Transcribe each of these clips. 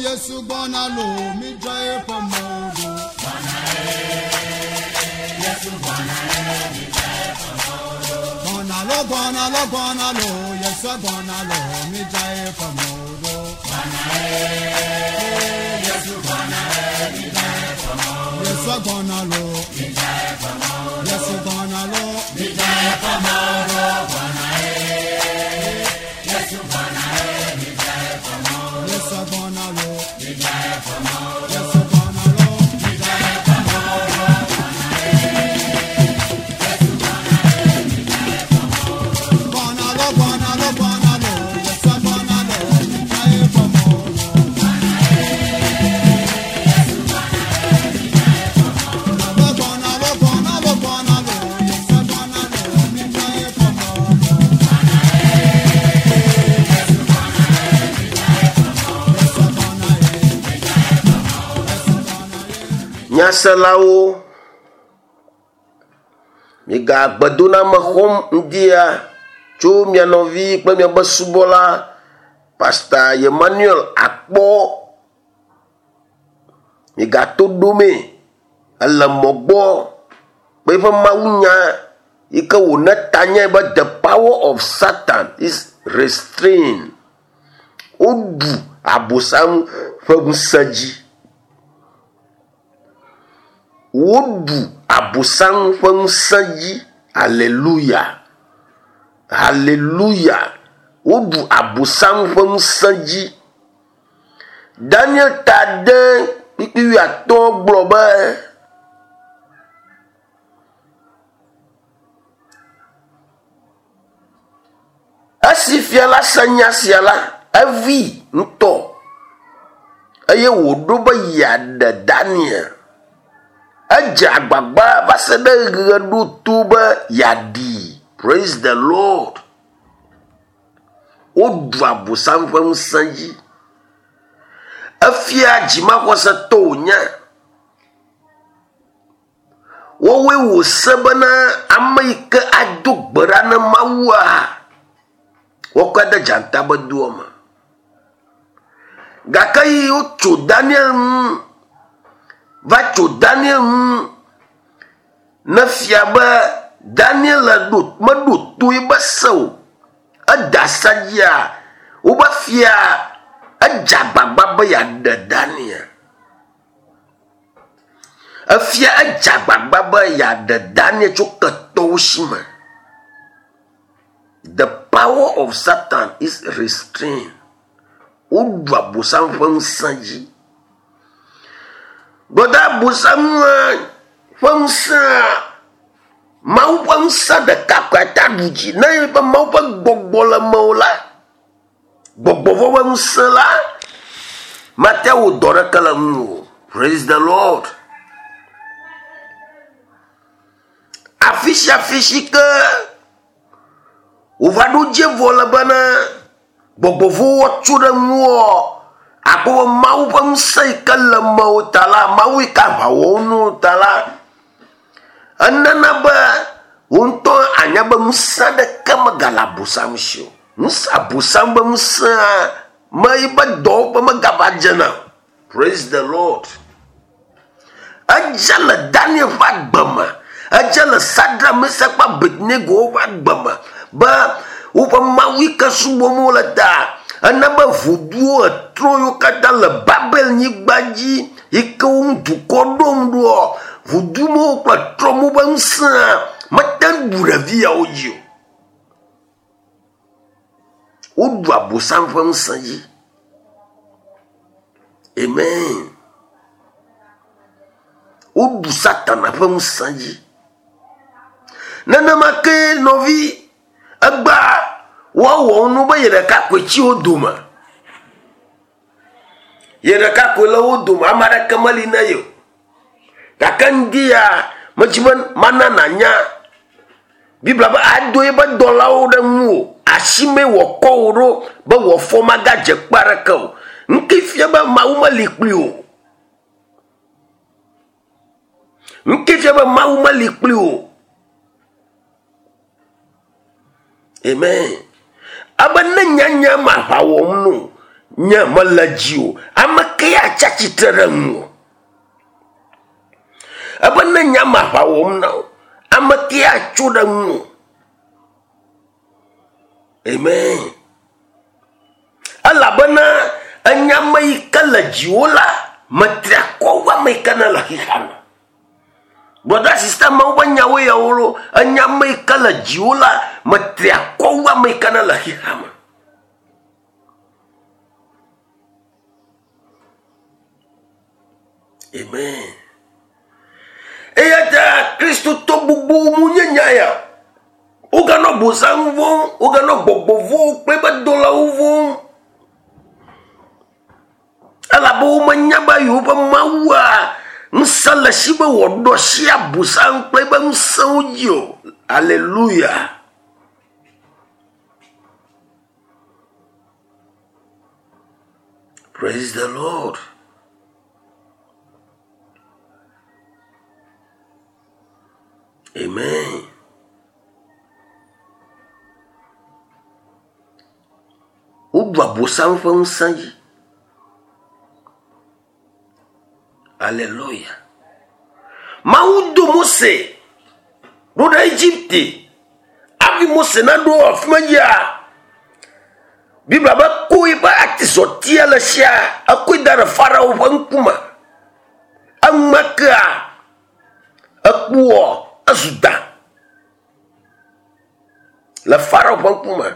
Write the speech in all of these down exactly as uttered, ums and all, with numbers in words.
Yesu gbɔna lo, mi dza eƒe mɔwo ɖo. Gbɔna lo, gbɔna lo, gbɔna lo, Yesu gbɔna lo, mi dza eƒe mɔwo ɖo. Yesu gbɔna lo, Yesu gbɔna lo, mi dza eƒe mɔwo ɖo. Yesu gbɔna lo, Yesu gbɔna lo, mi dza eƒe mɔwo ɖo. Gbɔna lo, gbɔna lo, gbɔna lo, Yesu gbɔna lo, mi dza eƒe mɔwo ɖo. Gbɔna lo, gbɔna lo, gbɔna lo, Yesu gbɔna lo, mi dza eƒe mɔwo ɖo. Yesu gbɔna ye, Yesu gbɔna ye. Nyaselawo, miga gbedoname xɔm ŋdia tso mia nɔvi kple miabe subɔla Pastor Emmanuel Akpɔ. Migato ɖomee ele mɔ gbɔ kple eƒe mawunya yi ke wòne tanye be the power of Satan is restrained. Woɖu abosam ƒe ŋusẽ dzi. Woɖu abosam ƒe ŋusẽ dzi. Hallelujah. Hallelujah. Woɖu abosam ƒe ŋusẽ dzi. Daniel ta ade kpukpui wuiatɔ̃ gblɔ be esi fia la se nya sia la, evi ŋutɔ eye wòɖo be yeaɖe Daniel. Edze agbagba va se ɖe ɣe ɖo to be yeaɖii. Praise the Lord. Woɖu abosam ƒe ŋusẽ dzi. Efia dzimaxɔsetɔ wònye. Woawoe wòse bena ame yi ke ado gbe ɖa ne Mawua, woakɔe de dzata be doa me. Gake yi wotso Daniel ŋu, va tso Daniel ŋu ne fia be Daniel ɖo meɖo to ebe se o. Eda asa dzia, wobe fia edze agbagba be yeaɖe Daniel. Efia edze agbagba be yeaɖe Daniel tso ketɔwo si me. The power of Satan is restrained. Woɖu abosam ƒe ŋusẽ dzi. Gbɔdɔ abosam ƒe ŋusẽa, Mawu ƒe ŋusẽ ɖeka koe ate aɖu dzi. Ne ye be Mawu ƒe gbɔgbɔ le mewò la, gbɔgbɔ vɔ̃ ƒe ŋusẽ la, mate wò dɔ ɖeke le ŋu o. Praise the Lord. Afi sia afi si ke wòva ɖo dze vɔ le bena gbɔgbɔ vɔ̃wo tso ɖe ŋuwò, akpɔ be Mawu ƒe ŋusẽ yi ke le mewò ta la, Mawu yi ke aʋa wɔm na wò ta la, enana be wò ŋutɔ anya be ŋusẽ aɖeke megale abosam si o. Ŋusẽ abosam be ŋusẽa me yibe dɔwɔƒe megava dzena o. Praise the Lord. Edze le Daniel ƒe agbe me. Edze le Sadrak, Mesak kple Abednego ƒe agbe me be woƒe Mawu yi ke subɔm wole ta ena be voduwo etrɔ yiwo katã le Babel nyigba dzi yi ke wo ŋu dukɔ ɖom ɖoa, vodu mawo kple trɔ mawo ƒe ŋusẽa mete ŋu ɖu ɖevi yawo dzi o. Woɖu abosam ƒe ŋusẽ dzi. Amen. Woɖu Satana ƒe ŋusẽ dzi. Nenema ke nɔvi egbea woawɔ nu be ye ɖeka koe tsi wo dome. Ye ɖeka koe le wo dome, ame aɖeke meli na ye o. Gake ŋdi ya medzi be mana nànya. Biblia be ado eƒe dɔlawo ɖe ŋuwò, asime wòakɔ wò ɖo be wò afɔ magadze kpe aɖeke o. Ŋke fia be Mawu meli kpli o. Ŋke fia be Mawu meli kpli o. Amen. Abe ne nyanya ma aʋa wɔm no, nye mele dzi o. Ame ke atsi atsitre ɖe ŋu. Ebe ne nye ame aʋa wɔm na wo, ame ke atso ɖe ŋu. Amen. Elabena enya ame yi ke le dziwò la, metri akɔ wu ame yi ke ne le xexea me. Brother, sister, mawu be nyawo yawo lo, enya ame yi ke le dziwò la, metri akɔ wu ame yi ke ne le xexea me. Amen. Eya ta Kristotɔ gbogbo mu nye nya ya. Woganɔ bosam vom, woganɔ gbɔgbɔ vom kple be dɔlawo vom. Elabe womenya be yewoƒe mawua ŋusẽ le si be wòaɖo asi abosam kple eƒe ŋusẽwo dzi o. Hallelujah. Praise the Lord. Amen. Woɖu abosam ƒe ŋusẽ dzi. Hallelujah. Mawu do Mose ɖo ɖe Egipte. Hafi Mose naɖo afi ma dzia, Biblia be ko eƒe atizɔtia le sia, ekɔe da ɖe Farao ƒe ŋkume. Enumekea, ekpoa ezu da le Farao ƒe ŋkume.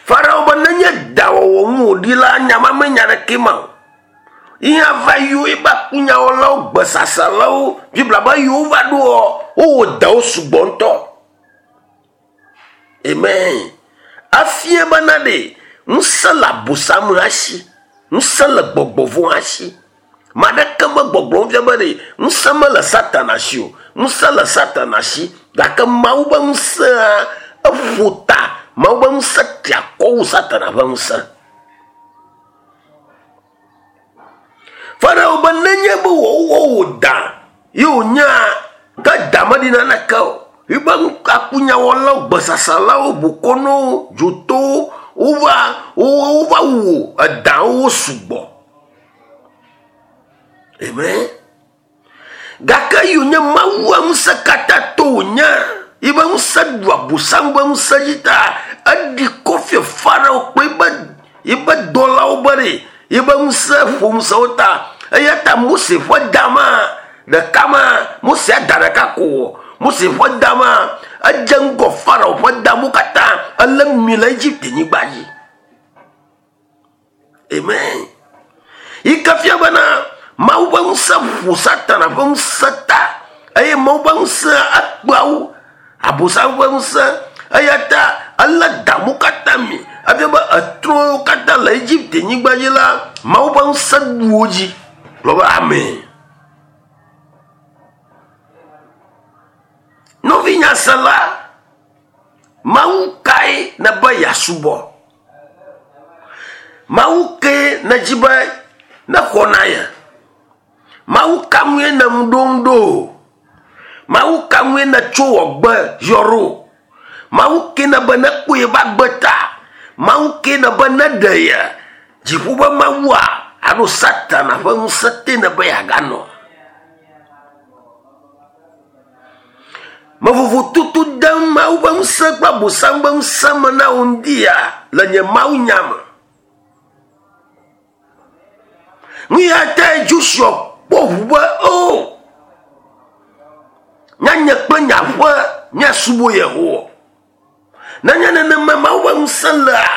Farao be nenye da wɔwɔ ŋu wòɖi la, nya ma menya ɖeke ma o. Ihe va yiwo ebe akunyawɔlawo, gbesasalawo, Biblia be yiwo va ɖoa, wowɔ dawo sugbɔ ŋutɔ. Amen. Afia bena ɖe ŋusẽ le abosam hã si, ŋusẽ le gbɔgbɔ vɔ̃ hã si. Ma ɖeke me gbɔgblɔm fia be ɖe ŋusẽ mele Satana si o, ŋusẽ le Satana si, gake Mawu be ŋusẽa eƒo ta, Mawu be ŋusẽ tri akɔ wu Satana ƒe ŋusẽ. Farao be nenye be wòwɔ wò da ye wònya ke da meɖi naneke o. Ebe akunyawɔlawo, gbesasalawo, bokɔnɔwo, dzotowo, wova wova wu edawo sugbɔ. Amen. Gake yi wònye Mawua ŋusẽ katã to wònya, ebe ŋusẽ ɖu abosam ƒe ŋusẽ dzi ta, eɖi kɔ fia Farao kple ebe ebe dɔlawo be ɖe ebe ŋusẽ ƒo ŋusẽwo ta. Eya ta Mose ƒe da ma ɖeka ma, Mose ada ɖeka ko wɔ. Mose ƒe da ma edze ŋgɔ Farao ƒe da mo katã elé mi le Egipte nyigba dzi. Amen. Yi ke fia bena Mawu ƒe ŋusẽ ƒo Satana ƒe ŋusẽ ta eye Mawu ƒe ŋusẽ ekpeawo abosam ƒe ŋusẽ. Eya ta elé da mo katã mi. Efia be etrɔwo katã le Egipte nyigba dzi la, Mawu ƒe ŋusẽ ɖu wo dzi. Gblɔ be amen. Nɔvinyasela, Mawu kae nebe yeasubɔ? Mawu ke nedzi be nexɔ na ye? Mawu ka ŋue ne ŋu ɖom ɖo? Mawu ka ŋue netso wɔ gbe yɔ ɖo? Mawu ke nebe nekpɔ yeƒe agbe ta? Mawu ke nebe neɖe ye? Dziƒo be Mawua alo Satana ƒe ŋusẽ te nebe yeaganɔ? Mevovototo dem Mawu ƒe ŋusẽ kple abosam ƒe ŋusẽ me na wò ŋdi ya le nye Mawu nya me. Nu ya tae Joshua kpɔ ʋu be o, nyanye kple nye aƒe míasubɔ Yehowa. Nenye nenema Mawu ƒe ŋusẽ lea,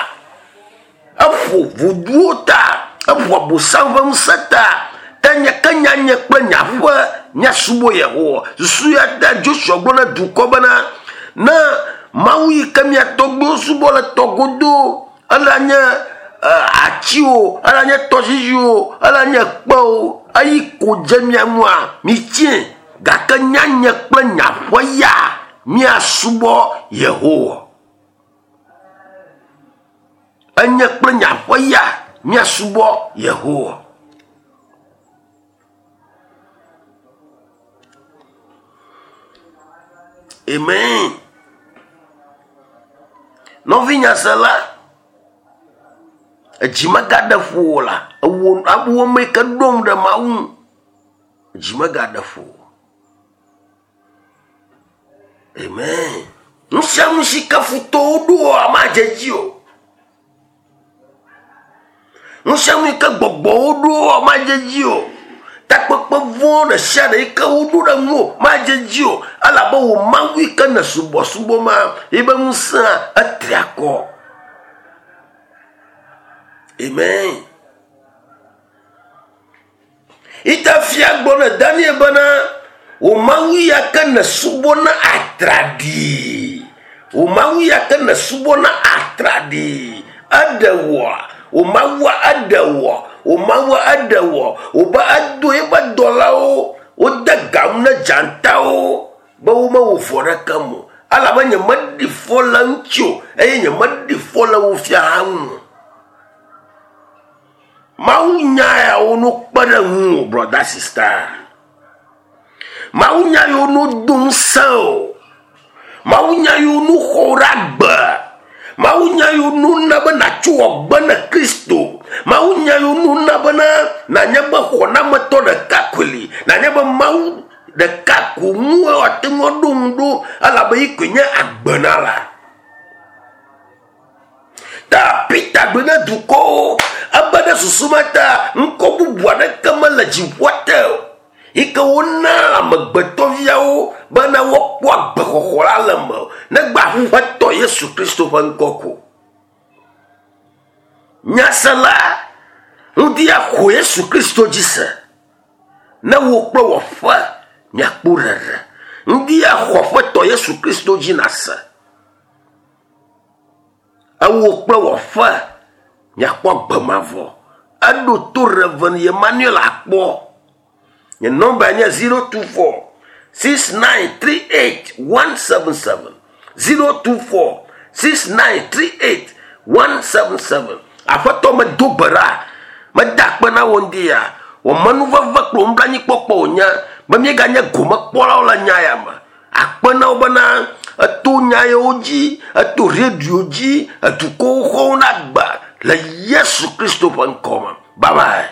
eƒo voduwo ta, eƒo abosam ƒe ŋusẽ ta, ta nye ke nyanye kple nye aƒe míasubɔ Yehowa. Susu ya ta Joshua gblɔ na dukɔ bena ne Mawu yi ke mía tɔgbuiwo subɔ le tɔgodo, ela nye atiwo, ela nye tɔdzidziwo, ela nye kpewo, eyi ko dze mía ŋua, mitsie. Gake nyanye kple nye aƒe ya míasubɔ Yehowa. Enye kple nye aƒe ya míasubɔ Yehowa. Amen. Nɔvinyasela, Edzi megaɖe ƒo o la ewo awo me ke ɖom ɖe Mawu edzi megaɖe ƒo. Amen. Nu sia nu si ke futɔwo ɖoa madze dzi o. Nu sia nu yi ke gbɔgbɔwo ɖoa madze dzi o. Takpekpe vɔ̃ ɖe sia ɖe yi ke woɖo ɖe ŋuwò madze dzi o. Elabe wò Mawu yi ke ne subɔsubɔ ma yibe ŋusẽa etri akɔ. Amen. Ita fia gblɔ ne Daniel bena wò Mawu ya ke ne subɔna atraɖii. Wò Mawu ya ke ne subɔna atraɖii. Eɖe wòa. Wò Mawua eɖe wò. Wò Mawua eɖe wò. Wòbe edo eƒe dɔlawo wode gamu ne dzatawo be womewɔ vɔ ɖeke me o. Elabe nyemeɖi fɔ le ŋuti o eye nyemeɖi fɔ le wò fia hã ŋu o. Mawu nya yawo no kpe ɖe ŋuwò, brother, sister. Mawu nya yiwo no do ŋusẽ o. Mawu nya yiwo no xɔ ɖe agbe. Mawu nya yiwo no na be nàtso agbe ne Kristo. Mawu nya yiwo no na bena nànye be xɔnametɔ ɖeka koe li. Nànye be Mawu ɖeka ko ŋue woate ŋu aɖo ŋu ɖo elabe yi koe nye agbenala. Ta Peter gblɔ ne dukɔwo ebe ɖe susu ma ta ŋkɔ bubu aɖeke mele dziƒoa te o. Yi ke wona amegbetɔviawo bena woakpɔ agbexɔxɔ la le eme o. Negbe Aƒetɔ Yesu Kristo ƒe ŋkɔ ko. Nyasela, ŋdi axɔ Yesu Kristo dzi se. Ne wò kple wò aƒe miakpɔ ɖeɖe. Ŋdi axɔ Aƒetɔ Yesu Kristo dzi nase. Ewò kple wò aƒe miakpɔ agbe mavɔ. Eɖo to Reverend Emmanuel akpɔ. Nye nɔmba nye zero two four six nine three eight one seven seven zero two four six nine three eight one seven seven. Aƒetɔ medo gbe ɖa, meda akpe na wò ŋdi ya. Wò menuveve kple wò nublanuikpɔkpɔ wònye be míeganye gomekpɔlawo le nya ya me. Akpe na wo bena eto nya yawo dzi, eto radio dzi, edukɔwo xɔwo na agbe le Yesu Kristo ƒe ŋkɔ me. Bye bye.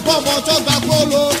Bọ́bọ̀ tó gba kóló.